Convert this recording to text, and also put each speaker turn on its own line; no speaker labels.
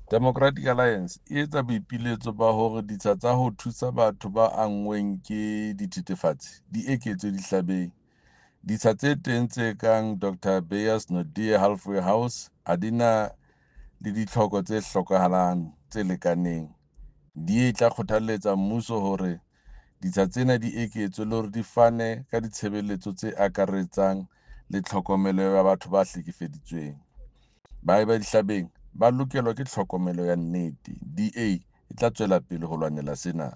Democratic Alliance e etsa boipiletso ba hore ditsha tsa ho thusa batho ba anngweng ke dithethefatsi di eketswe dihlabeng. Ditsha tse teng tse kang Dr Beyers Naudé Halfway House ha di na le ditlhoko tse hlokahalang tse lekaneng. DA e tla kgothaletsa mmuso hore ditsha tsena di eketswe le hore di fane ka ditshebeletso tse akaretsang le tlhokomelo ya batho ba hlekefeditsweng. Baahi ba dihlabeng ba lokelwa ke tlhokomelo ya nnete. DA e tla tswela pele ho lwanela sena.